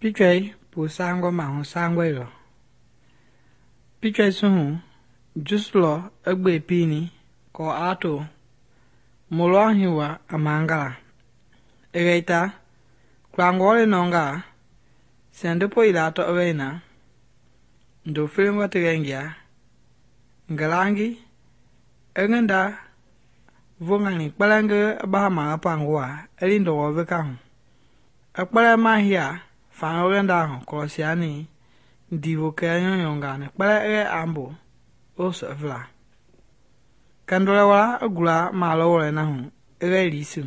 Pichwei pu sangɔ mahu sangɔe lɔ. Pichwei suhu jusu lɔ egbe pini kɔ ato molɔ hiwa amangala. Egeita klangɔle nɔnga sendepo ila tɔ eweina ndo filingɔ tegengia ngelangi enginda vongani kpɛlɛngɛ bahama pangua elindɔwɔ veka hu. Ekpɛlɛ mahia faŋɔgɛnda hu kɔlɔsiani ndivo kɛnyɔnyɔngani kpɛlɛ ege ambo osevla. Kɛndolɛ wala egula malɔ wɔlɛna hu ege lisu.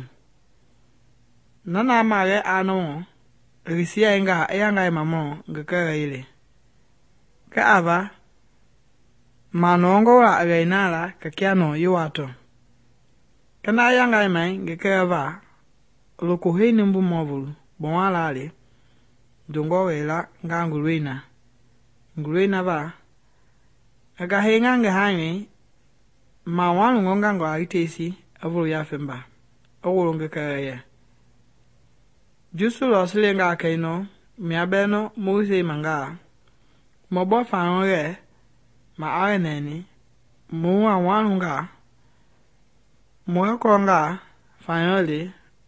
Nana magɛ anɔmɔ egisia enga eyanga emamɔ ngekɛ yele. Kɛ ava manɔngɔ la egainala kɛkianɔ yiwatɔ. Kɛna eyanga emai ngekɛ eva loko hei nimbu mɔvulu bɔwalale dongɔ wɛla nga nguluina. Nguluina va ega henga ngehanyi ma walu ngɔnga ngɔla itesi evolo yafemba ewolo ngekɛ yɛ. Jusu lɔ silenga kɛinɔ miabɛnɔ mose manga mɔbɔ faŋɔgɛ ma awe nɛni mɔwa walunga mɔkɔnga faŋɔle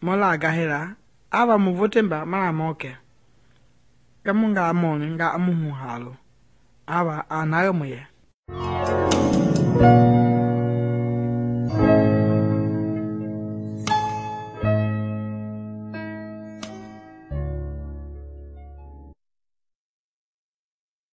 mɔla gahela ava muvotemba mala mɔkɛ. Kɛmunga mɔni nga muhu halo ava anagɛ muyɛ.